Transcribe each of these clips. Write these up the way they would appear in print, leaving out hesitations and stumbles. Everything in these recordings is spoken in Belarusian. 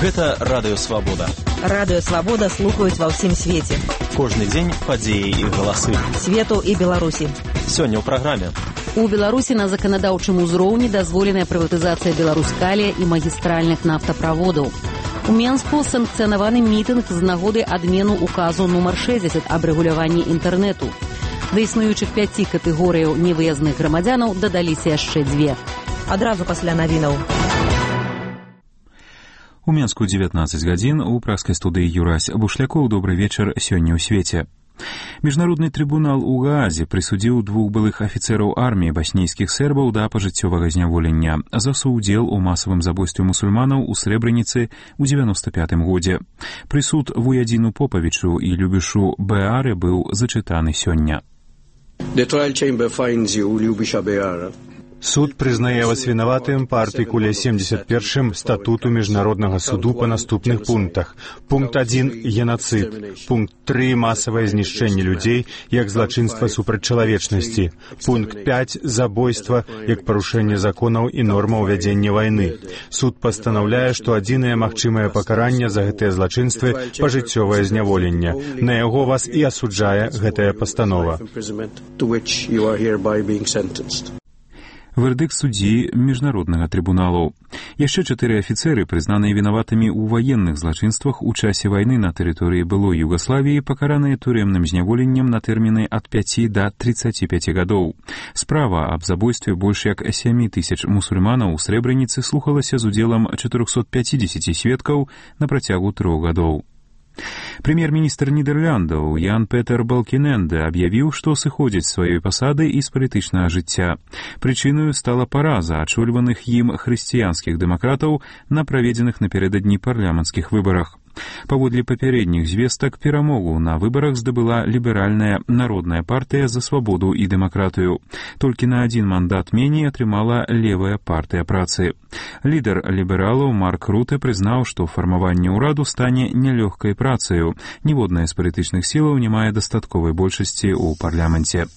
Гэта Радыё Свабода. Радыё Свабода слухаюць ва ўсім свеце. Кожны дзень падзеі і галасы. Свету і Беларусі. Сёння ў праграме. У Беларусі на заканадаўчым узроўні дазволеная прыватызацыя Беларускалія і магістральных нафтаправодаў. У Менску санкцыянаваны мітынг з нагоды адмену указу нумар 60 аб рэгуляванні інтэрнэту. Да існуючых 5 катэгорыяў невыязных грамадзянаў дадаліся яшчэ 2. Адразу пасля навінаў. У Менску 19 гадзін, у праскай студыі Юрась Бушлякоў. Добры вечар сёння ў свеце. Міжнародны трыбунал у Гаазе прысудзіў 2 былых афіцэраў арміі баснійскіх сербаў да пажыццёвага зняволення за суўдзел у масавым забойстве мусульманаў у Срэбраніцы ў 95 годзе. Прысуд Вуядзіну Попавічу і Любішу Беаре быў зачытаны сёння. The trial chamber finds you, Lyubisha Beara. Суд прызнае вас вінаватым па артыкуле 71 статуту Міжнароднага суду па наступных пунктах. Пункт 1 – геноцид. Пункт 3 – масавае знішчэнне людзей як злачынства супраць чалавечнасці. Пункт 5 – забойства як парушэнне законаў і нормаў вядзення вайны. Суд пастанаўляе, што адзінае магчымае пакаранне за гэтыя злачынствы – пажыццёвае зняволенне. На яго вас і асуджае гэтая пастанова. Вердыкт суддзі Міжнароднага трыбуналу. Яшчэ 4 афіцэры, прызнаныя вінаватымі ў ваенных злачынствах у часе вайны на тэрыторыі былой Югаславіі, пакараныя турэмным зняволеннем на тэрміны ад 5 да 35 гадоў. Справа аб забойстве больш як 7 тысяч мусульманаў у Срэбраніцы слухалася з удзелам 450 сведкаў на працягу 3 гадоў. Прэм'ер-міністр Нідерландаў Ян Петер Балкіненде аб'явіў, што сыходзіць з сваёй пасады і з палітычнага жыцця. Прычыною стала параза ачольваных ім хрысціянскіх дэмакратаў на праведзеных напярэдадні парламенцкіх выбарах. Паводле папярэдніх звестак перамогу на выбарах здабыла ліберальная народная партыя за свабоду і дэмакратыю. Толькі на 1 мандат меней атрымала левая партыя працы. Лідар лібералаў Марк Руте прызнаў, што фармаванне ўраду стане нялёгкай працаю. Ніводная з палітычных сілаў не мае дастатковай большасці ў парламенце.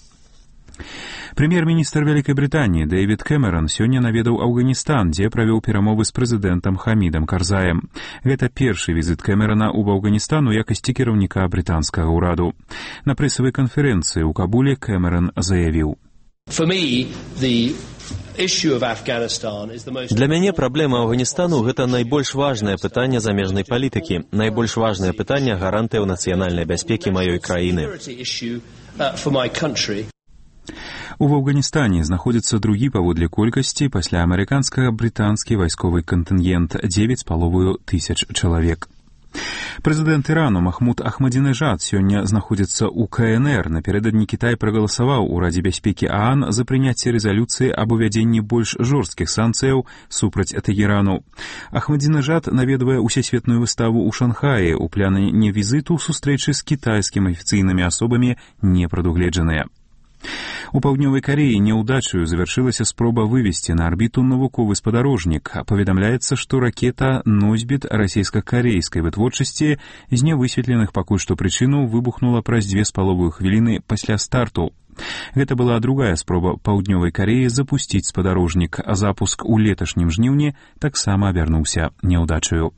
Прэм'ер-міністр Вялікай Брытаніі Дэвід Кэмерон сёння наведаў Афганістан, дзе правёў перамовы з прэзідэнтам Хамідам Карзаем. Гэта першы візіт Кэмерона ў Афганістан у якасці кіраўніка брытанскага ўраду. На прэсавай канферэнцыі ў Кабуле Кэмерон заявіў: Для мяне праблема Афганістану – гэта найбольш важнае пытанне замежнай палітыкі, найбольш важнае пытанне гарантыяў нацыянальнай бяспекі маёй краіны. У Афганістане знаходзіцца другі паводле колькасці пасля амерыканскага брытанскі вайсковы кантынгент 9,5 тысяч чалавек. Прэзідэнт Ірану Махмуд Ахмадзінежад сёння знаходзіцца ў КНР. Напярэдадні Кітай прагаласаваў у Радзе бяспекі ААН за прыняцце рэзалюцыі аб увядзенні больш жорсткіх санкцыяў супраць Тэгэрану. Ахмадзінежад наведвае усесветную выставу ў Шанхаі. У плане візіту сустрэчы з кітайскімі афіцыйнымі асобамі не прадугледжаныя. У Паўднёвай Кареі няўдачаю завяршылася спроба вывесці на арбіту навуковы спадарожнік. Паведамляецца, што ракета носьбіт расійска-карейскай вытворчасці з нявысветленых пакуль што прычынаў выбухнула праз 2,5 хвіліны пасля старту. Гэта была другая спроба Паўднёвай Кареі запусціць спадарожнік, а запуск у леташнім жніўні таксама абярнуўся няўдачаю.